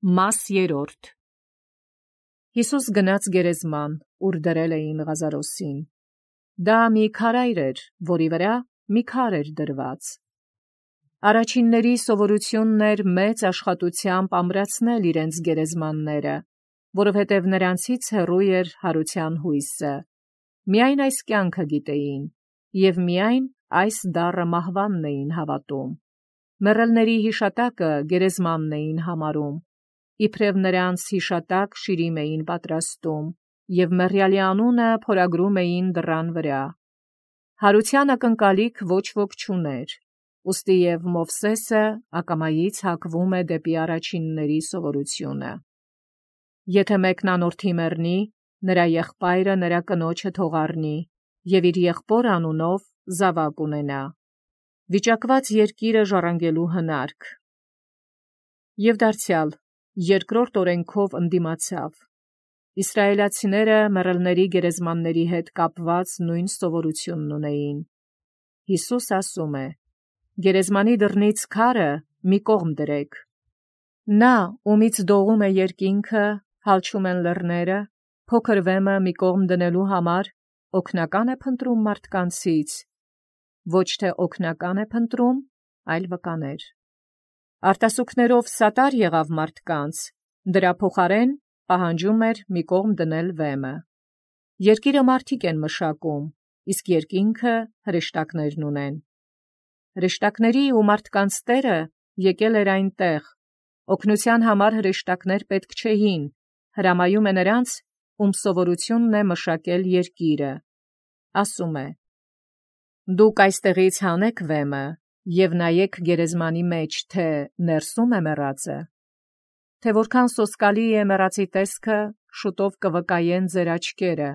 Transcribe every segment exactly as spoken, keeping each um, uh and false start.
Մաս երրորդ Հիսուս գնաց գերեզման, ուր դրել էին Ղազարոսին։ Դա մի քարայր էր, որի վրա մի քար էր դրված։ Առաջինների սովորությունն էր մեծ աշխատությամբ ամրացնել իրենց գերեզմանները, որովհետև նրանցից հեռու էր հարության հույսը։ Միայն այս կյանքը գիտեին, և միայն այս դառը մահվանն էին հավատում։ Մեռելների հիշատակը գերեզմանն էին համարում, իբրև նրանց հիշատակ շիրիմ էին պատրաստում, և մեռյալի անունը փորագրում էին դռան վրա։ Հարության ակնկալիք ոչ ոք չուներ, ուստի և Մովսեսը ակամայից հակվում է դեպի առաջինների սովորությունը։ Եթե մեկն անորդի մեռնի, նրա եղբայրը նրա կնոջը թող առնի, և իր եղբոր անունով զավակ ունենա։ Վիճակված երկիրը ժառանգելու հնարք։ Եվ դարձյալ, երկրորդ օրենքով ընդդիմացավ։ Իսրայելացիները մեռելների գերեզմանների հետ կապված նույն սովորությունն ունեին։ Հիսուս ասում է. «Գերեզմանի դռնից քարը մի կողմ դրեք։ Նա, ումից դողում է երկինքը, հալչում են լեռները, փոքր վեմը մի կողմ դնելու համար օգնական է փնտրում մարդկանցից, ոչ թե օգնական է փնտրում, այլ վկաներ։ Արտասուքներով սատար եղավ մարդկանց, դրա փոխարեն պահանջում էր մի կողմ դնել վեմը։ Երկիրը մարդիկ են մշակում, իսկ երկինքը հրեշտակներն ունեն։ Հրեշտակների ու մարդկանց Տերը եկել էր այնտեղ, օգնության համար հրեշտակներ պետք չէին, հրամայում է նրանց, ում սովորությունն է մշակել երկիրը։ Ասում է. «Դուք այստեղից հանեք վեմը և նայեք գերեզմանի մեջ, թե ներսում է մեռածը, թե որքան սոսկալի է մեռածի տեսքը, շուտով կվկայեն ձեր աչքերը,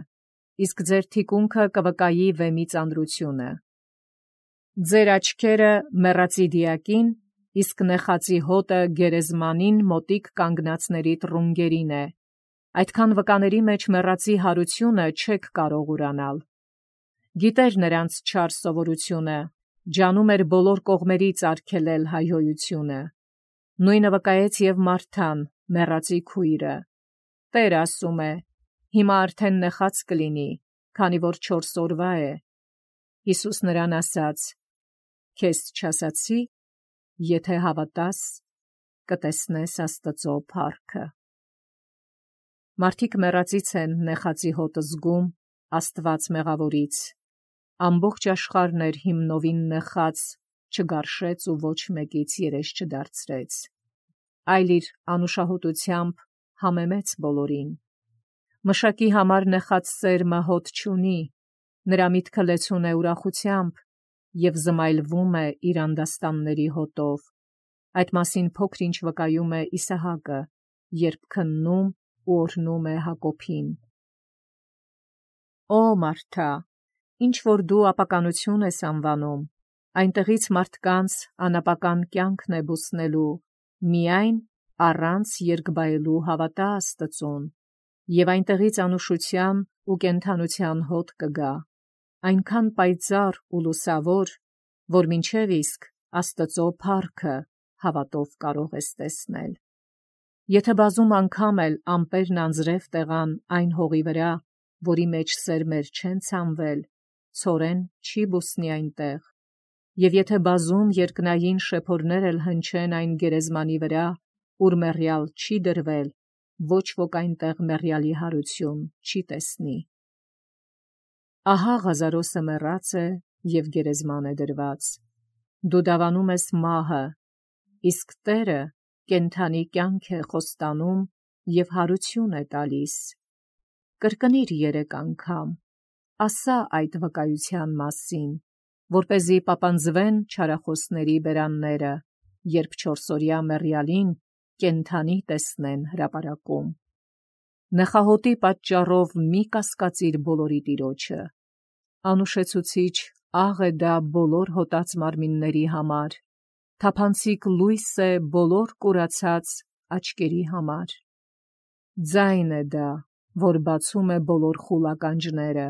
իսկ ձեր թիկունքը կվկայի վեմի ծանրությունը։ Ձեր աչքերը մեռածի դիակին, իսկ նեխածի հոտը գերեզմանին մոտիկ կանգնածների տռունգերին է։ Այդքան վկաների մեջ մեռածի հարությունը չեք կարող ուրանալ»։ Գիտեր նրանց չար սովորությունը, ջանում էր բոլոր կողմերից արգելել հայհոյությունը։ Նույնը վկայեց և Մարթան, մեռածի քույրը։ Տեր ասում է. «Հիմա արդեն նեխած կլինի, քանի որ չորս օրվա է»։ Հիսուս նրան ասաց. «Քեզ չասացի, եթե հավատաս, կտեսնես Աստծու փառքը»։ Մարդիկ մեռածից են նեխածի հոտը զգում, Աստված մեղավորից։ Ամբողջ աշխարհն էր հիմնովին նեխած, չգարշեց ու ոչ մեկից երես չդարձրեց, այլ իր անուշահոտությամբ համեմեց բոլորին։ Մշակի համար նեխած սերմը հոտ չունի, նրա միտքը լեցուն է ուրախությամբ և զմայլվում է իր անդաստանների հոտով։ Այդ մասին փոքր-ինչ վկայում է Իսահակը, երբ քննում ու օրհնում է Հակոբին. «Օ Մարթա, ինչ որ դու ապականություն ես անվանում, այնտեղից մարդկանց անապական կյանքն է բուսնելու, միայն առանց երկբայելու հավատա Աստծուն, և այնտեղից անուշության ու կենդանության հոտ կգա, այնքան պայծառ ու լուսավոր, որ մինչև իսկ Աստծու փառքը հավատով կարող ես տեսնել։ Եթե բազում անգամ էլ ամպերն անձրև տեղան այն հողի վրա, որի մեջ սերմեր չեն ցանվել, ցորեն չի բուսնի այնտեղ, և եթե բազում երկնային շեփորներ էլ հնչեն այն գերեզմանի վրա, ուր մեռյալ չի դրվել, ոչ ոք այնտեղ մեռյալի հարություն չի տեսնի։ Ահա Ղազարոսը մեռած է և գերեզման է դրված։ Դու դավանում ես մահը, իսկ Տերը կենդանի կյանք է խոստանում և հարություն է տալիս։ Կրկնիր երեք անգամ, ասա այդ վկայության մասին, որպեսզի պապանձվեն չարախոսների բերանները, երբ չորսօրյա մեռյալին կենդանի տեսնեն հրապարակում։ Նեխահոտի պատճառով մի կասկածիր բոլորի Տիրոջը։ Անուշեցուցիչ աղ է դա բոլոր հոտած մարմինների համար, թափանցիկ լույս է բոլոր կուրացած աչքերի համար։ Ձայն է դա, որ բացում է բոլոր խուլ ականջները,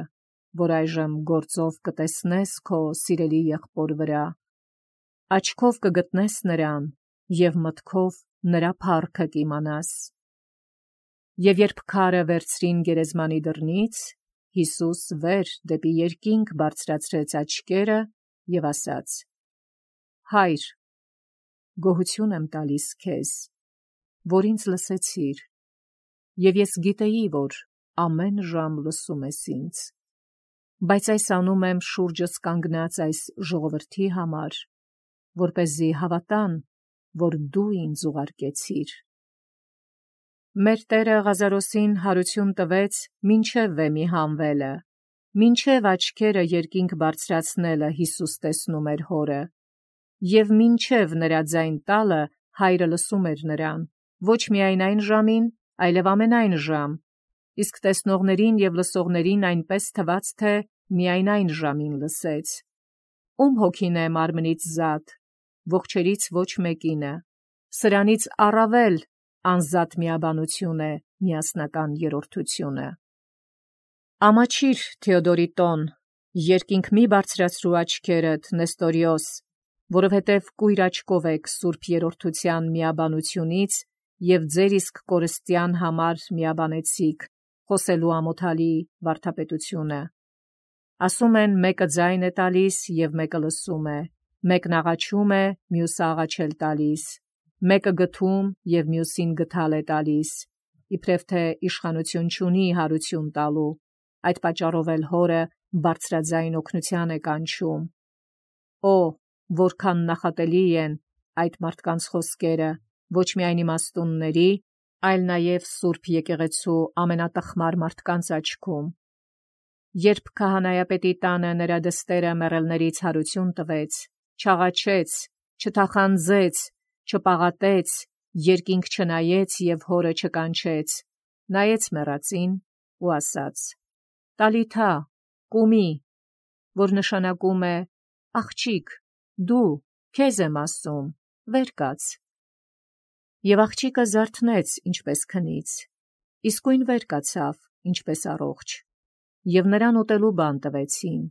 որ այժմ գործով կտեսնես քո սիրելի եղբոր վրա, աչքով կգտնես նրան և մտքով նրա փառքը կիմանաս։ Եվ երբ քարը վերցրին գերեզմանի դռնից, Հիսուս վեր դեպի երկինք բարձրացրեց աչքերը և ասաց. Հայր, գոհություն եմ տալիս քեզ, որ ինձ լսեցիր, և ես գիտեի, որ ամեն ժամ լսում ես ինձ, բայց այս անում եմ շուրջս կանգնած այս ժողովրդի համար, որպեսզի հավատան, որ դու ինձ ուղարկեցիր։ Մեր Տերը Ղազարոսին հարություն տվեց մինչև վեմի հանվելը, մինչև աչքերը երկինք բարձրացնելը Հիսուս տեսնում էր հորը, և մինչև նրա ձայն տալը հայրը լսում էր նրան, ոչ միայն այն ժամին, այլև ամենայն ժամ, իսկ տեսնողներին և լսողներին այնպես թվաց, թե միայն այն ժամին լսեց։ Ում հոգին է մարմնից զատ, ողջերից ոչ մեկինը, սրանից առավել անզատ միաբանություն է միասնական երրորդությունը։ Ամաչիր, Թեոդորիտոն, երկինք մի բարձրացրու աչքերդ, Նեստորիոս, որովհետև կույր աչքով եք սուրբ երրորդության միաբանությունից և ձեր իսկ կորստյան համար միաբանեցիք խոսելու ամոթալի վարդապետությունը։ Ասում են, մեկը ձայն է տալիս և մեկը լսում է, մեկն աղաչում է, մյուսը աղաչել տալիս, մեկը գթում և մյուսին գթալ է տալիս, իբրև թե իշխանություն չունի հարություն տալու, այդ պատճառով էլ հորը բարձրաձայն օգնության է կանչում։ Օ, որքան նախատելի են այդ մարդկանց խոսքերը, ոչ միայն իմաստունների, այլ նաև Սուրբ եկեղեցու ամենատխմար մարդկանց աչքում։ Երբ քահանայապետի տանը նրա դստերը մեռելներից հարություն տվեց, չաղաչեց, չթախանձեց, չպաղատեց, երկինք չնայեց և հորը չկանչեց, նայեց մեռածին ու ասաց. Տալիթա, կումի, որ նշանակում է աղջիկ, դու, քեզ եմ ասում, վեր կաց։ Եվ աղջիկը զարթնեց, ինչպես քնից, իսկույն վեր կացավ, ինչպես առողջ, և նրան ուտելու բան տվեցին։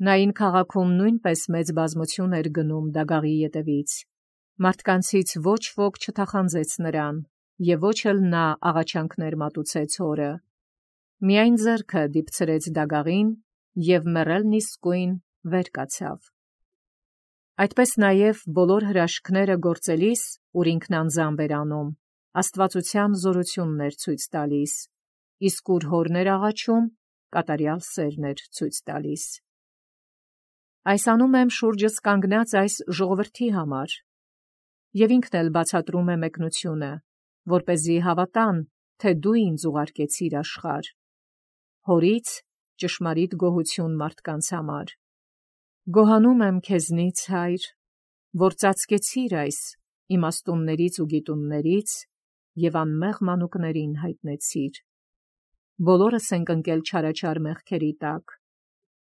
Նային քաղաքում նույնպես մեծ բազմություն էր գնում դագաղի ետևից, մարդկանցից ոչ ոք չթախանձեց նրան, և ոչ էլ նա աղաչանքներ մատուցեց հորը, միայն ձեռքը դիպցրեց դագաղին, և մեռելն իսկույն վեր կացավ։ Այդպես նաև բոլոր հրաշքները գործելիս, ուր ինքն անձամբ էր անում, աստվածության զորությունն էր ցույց տալիս, իսկ ուր հորն էր աղաչում, կատարյալ սերն էր ցույց տալիս։ Այս անում եմ շուրջս կանգնած այս ժողովրդի համար, և ինքն էլ բացատրում է մեկնությունը, որպեսզի հավատան, թե դու ինձ ուղարկեցիր աշխարհ, հորից ճշմարիտ գոհություն մարդկանց համար։ Գոհանում եմ քեզնից, Հայր, որ ծածկեցիր այս իմաստուններից ու գիտուններից և անմեղ մանուկներին հայտնեցիր։ Բոլորս ենք ընկել չարաչար մեղքերի տակ,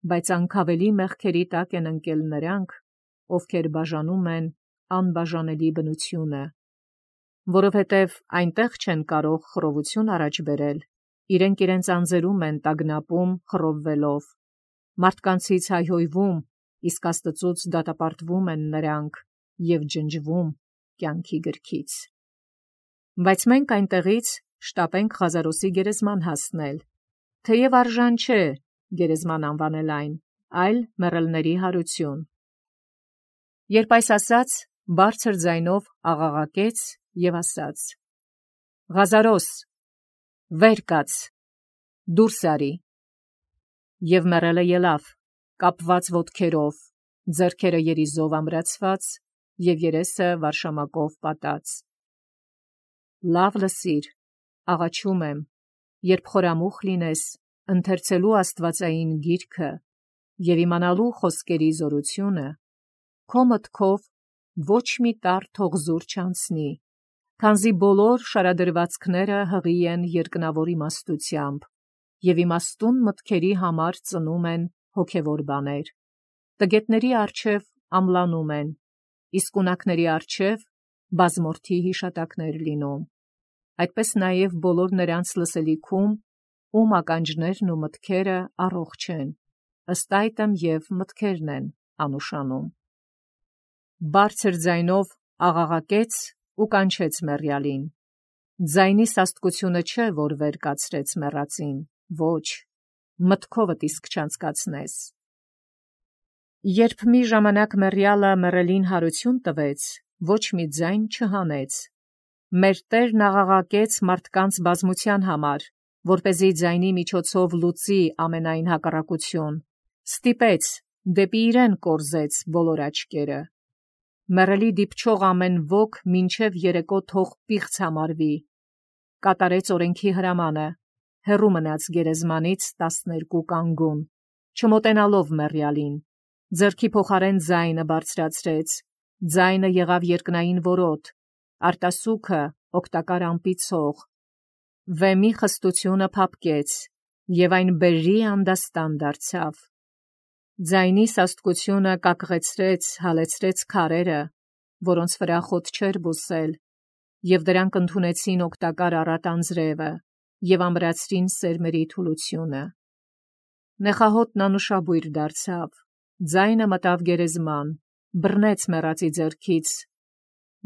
բայց անկավելի մեղքերի տակ են ընկել նրանք, ովքեր բաժանում են անբաժանելի բնությունը, որովհետև այնտեղ չեն կարող խռովություն առաջ բերել, իրենք իրենց անձերում են տագնապում խռովվելով, մարդկանցից հայհոյվում, իսկ Աստծուց դատապարտվում են նրանք և ջնջվում կյանքի գրքից։ Բայց մենք այնտեղից շտապենք Ղազարոսի գերեզման հասնել, թեև արժան չէ գերեզման անվանել այն, այլ մեռելների հարություն։ Երբ այս ասաց, բարձր ձայնով աղաղակեց և ասաց. Ղազարոս, վեր կաց, դուրս արի։ Եվ մեռելը ելավ, կապված ոտքերով, ձեռքերը երիզով ամրացված և երեսը վարշամակով պատած։ Լավ լսիր, աղաչում եմ, երբ խորամուխ լինես, ընթերցելու աստվածային գիրքը և իմանալու խոսքերի զորությունը, քո մտքով ոչ մի տառ թող զուր չանցնի, քանզի բոլոր շարադրվածքները հղի են երկնավոր իմաստությամբ, և իմաստուն մտքերի համար ծնում են հոգևոր բաներ, տգետների առջև ամլանում են, իսկ ունակների առջև բազմորդի հիշատակներ լինում, այդպես նաև բոլոր նրանց լսելիքում, ում ականջներն ու մտքերը առողջ են, ըստ այդմ և մտքերն են անուշանում։ Բարձր ձայնով աղաղակեց ու կանչեց մեռյալին։ Ձայնի սաստկությունը չէ, որ վեր կացրեց մեռածին, ոչ, մտքովդ իսկ չանցկացնես։ Երբ մի ժամանակ մեռյալը մեռելին հարություն տվեց, ոչ մի ձայն չհանեց։ Մեր Տերն աղաղակեց մարդկանց բազմության համար, որպեսզի ձայնի միջոցով լուծի ամենայն հակառակություն, ստիպեց, դեպի իրեն կորզեց բոլոր աչքերը։ Մեռելի դիպչող ամեն ոք մինչև երեկո թող պիղծ համարվի, կատարեց օրենքի հրամանը, հեռու մնաց գերեզմանից տասներկու կանգուն, չմոտենալով մեռյալին, ձեռքի փոխարեն ձայնը բարձրացրեց, ձայնը եղավ երկնային որոտ, արտասուքը օգտակար ամպիցող, վեմի խստությունը փափկեց, և այն բերրի անդաստան դարձավ։ Ձայնի սաստկությունը կակղեցրեց, հալեցրեց քարերը, որոնց վրա խոտ չէր բուսել, և դրանք ընդունեցին օգտակար առատ անձրևը և ամրացրին սերմերի թուլությունը։ Նեխահոտն անուշաբույր դարձավ, ձայնը մտավ գերեզման, բռնեց մեռածի ձեռքից,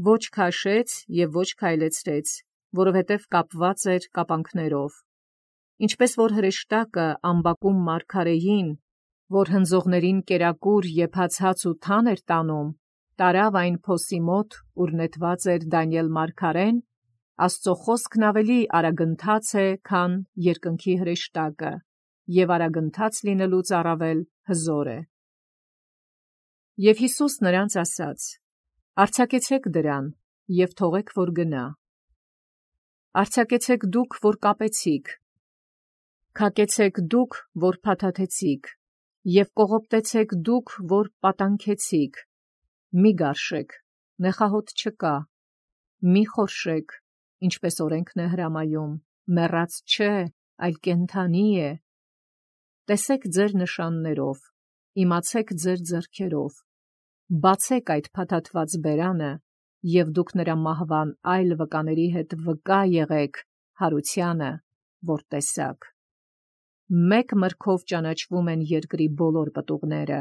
ոչ քաշեց և ոչ քայլեցրեց, որովհետև կապված էր կապանքներով։ Ինչպես որ հրեշտակը ամբակում մարգարեին, որ հնձողներին կերակուր եփած հաց ու թան էր տանում, տարավ այն փոսի մոտ, ուր նետված էր Դանիել մարգարեն, Աստծո խոսքն ավելի արագընթաց է, քան երկնքի հրեշտակը, և արագընթաց լինելուց առավել հզոր է։ Եվ Հիսուս նրանց ասաց. «Արձակեցեք դրան և թողեք, որ գնա։ Արձակեցեք դուք, որ կապեցիք, քակեցեք դուք, որ փաթաթեցիք, և կողոպտեցեք դուք, որ պատանքեցիք, մի գարշեք, նեխահոտ չկա, մի խորշեք, ինչպես օրենքն է հրամայում, մեռած չէ, այլ կենդանի է։ Տեսեք ձեր նշաններով, իմացեք ձեր ձեռքերով, բացեք այդ փաթաթված բերանը, և դուք նրա մահվան այլ վկաների հետ վկա եղեք հարությանը, որ տեսաք։ Մեկ մրգով ճանաչվում են երկրի բոլոր պտուղները,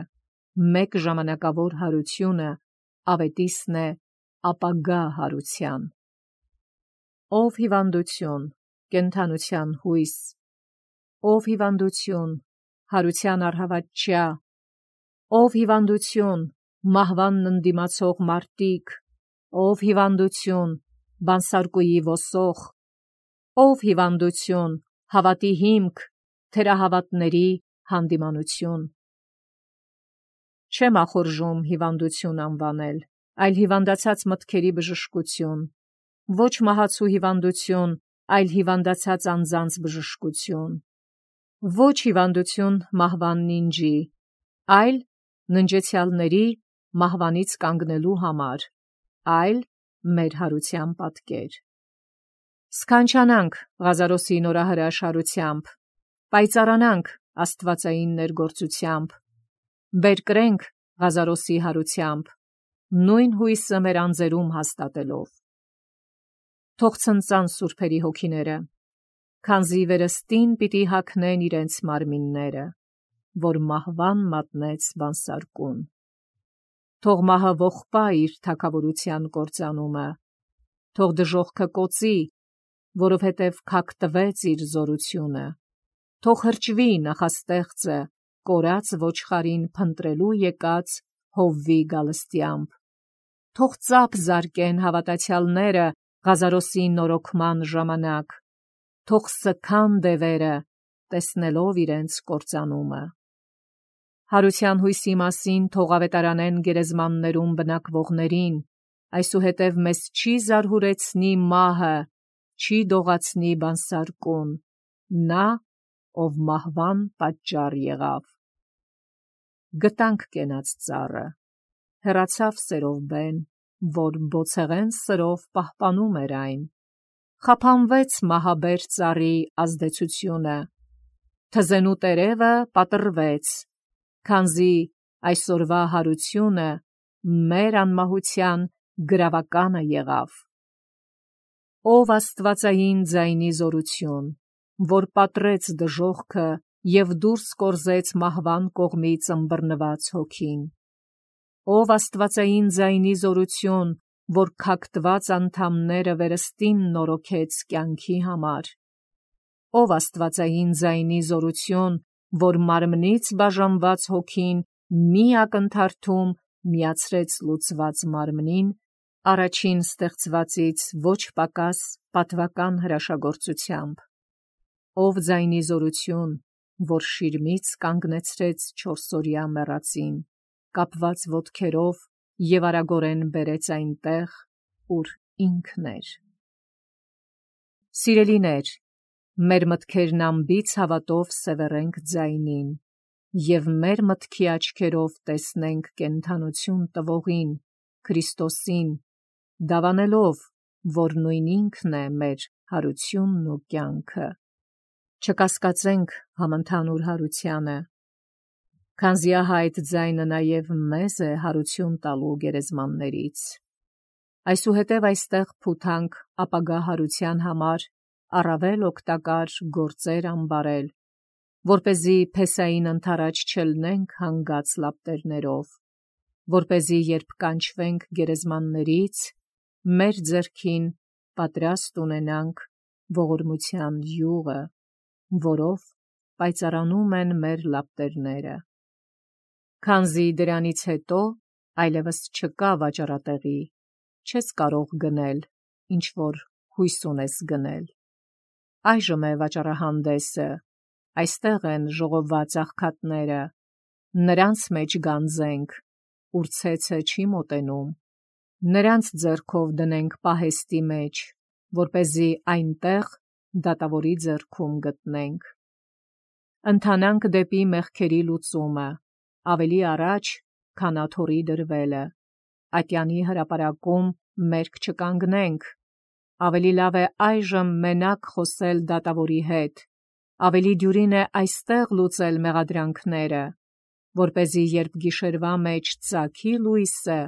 մեկ ժամանակավոր հարությունը ավետիսն է ապագա հարության։ Ով հիվանդություն, կենդանության հույս, ով հիվանդություն, հարության առհավատչյա, ով հիվանդություն, մահվանն ընդդիմացող մարտիկ, ով հիվանդություն, բանսարկուի ոսող, ով հիվանդություն, հավատի հիմք, թերահավատների հանդիմանություն։ Չեմ ախորժում հիվանդություն անվանել, այլ հիվանդացած մտքերի բժշկություն, ոչ մահացու հիվանդություն, այլ հիվանդացած անձանց բժշկություն, ոչ հիվանդություն մահվան նինջի, այլ ննջեցյալների մահվանից կանգնելու համար, այլ մեր հարության պատկեր։ Սքանչանանք Ղազարոսի նորահրաշարությամբ, պայծառանանք աստվածային ներգործությամբ, բերկրենք Ղազարոսի հարությամբ, նույն հույսը մեր անձերում հաստատելով։ Թող ցնծան սուրբերի հոգիները, քանզի վերստին պիտի հագնեն իրենց մարմինները, որ մահվան մատնեց բանսարկուն։ Թող մահը ողբա իր թագավորության կործանումը, թող դժոխքը կոծի, որովհետև քակտվեց իր զորությունը, թող հրճվի նախաստեղծը, կորած ոչխարին փնտրելու եկած հովվի գալստյամբ, թող ծափ զարկեն հավատացյալները Ղազարոսի նորոգման ժամանակ, թող սգան դևերը, տեսնելով իրենց կործանումը։ Հարության հույսի մասին թող ավետարանեն գերեզմաններում բնակվողներին, այսուհետև մեզ չի զարհուրեցնի մահը, չի դողացնի բանսարկուն, նա, ով մահվան պատճառ եղավ։ Գտանք կենաց ծառը, հեռացավ սերով բեն, որ բոցեղեն սրով պահպանում էր այն, խափանվեց մահաբեր ծառի ազդեցությունը, թզենու տերևը պատռվեց, քանզի այսօրվա հարությունը մեր անմահության գրավականը եղավ։ Ով աստվածային ձայնի զորություն, որ պատռեց դժոխքը և դուրս կորզեց մահվան կողմից ըմբռնված հոգին, ով աստվածային ձայնի զորություն, որ քակտված անդամները վերստին նորոգեց կյանքի համար։ Ով աստվածային ձայնի զորություն, որ մարմնից բաժանված հոգին մի ակնթարթում միացրեց լուծված մարմնին, առաջին ստեղծվածից ոչ պակաս պատվական հրաշագործությամբ։ Ով ձայնի զորություն, որ շիրմից կանգնեցրեց չորսօրյա մեռածին, կապված ոտքերով և արագորեն բերեց այնտեղ, ուր ինքն էր։ Սիրելիներ, մեր մտքերն անբիծ հավատով սևեռենք ձայնին, և մեր մտքի աչքերով տեսնենք կենդանություն տվողին, Քրիստոսին, դավանելով, որ նույն ինքն է մեր հարությունն ու կյանքը։ Չկասկածենք համընդհանուր հարությանը, քանզի ահա այդ ձայնը նաև մեզ է հարություն տալու գերեզմաններից։ Այսուհետև այստեղ փութանք ապագա հարության համար առավել օգտակար գործեր անբարել, որպեսզի փեսային ընթരാճ չլնենք հանգած լապտերներով, որպեսզի երբ կանչվենք գերեզմաններից, մեր ձեռքին պատրաստ ունենանք ողորմության յուղը, որով պայծառանում են մեր լապտերները։ Քանզի դրանից հետո այլևս չկա վաճառատեղի, չես կարող գնել, ինչ որ հույս ունես գնել։ Այժմ է վաճառահանդեսը, այստեղ են ժողովված աղքատները, նրանց մեջ գանձենք, ուր ցեցը չի մոտենում, նրանց ձեռքով դնենք պահեստի մեջ, որպեսզի այնտեղ դատավորի ձեռքում գտնենք։ Ընթանանք դեպի մեղքերի լուծումը, ավելի առաջ, քան աթոռի դրվելը, ատյանի հրապարակում մերկ չկանգնենք, ավելի լավ է այժմ մենակ խոսել դատավորի հետ, ավելի դյուրին է այստեղ լուծել մեղադրանքները, որպեսզի երբ գիշերվա մեջ ծագի լույսը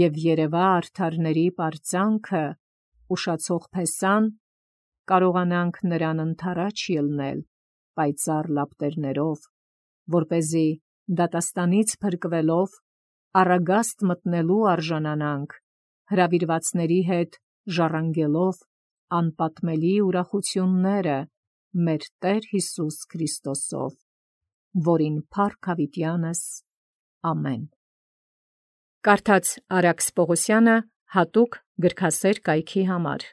և երևա արդարների պարծանքը, ուշացող փեսան, կարողանանք նրան ընթരാճ ելնել պայծառ լապտերներով, որպեսզի դատաստանից փրկվելով առագաստ մտնելու արժանանանք, հրավիրվածների հետ ժառանգելով անպատմելի ուրախությունները մեր Տեր Հիսուս Քրիստոսով, որին փառք հավիտյանս, ամեն։ Կարդաց Արաքս Պողոսյանը հատուկ գրքասեր կայքի համար։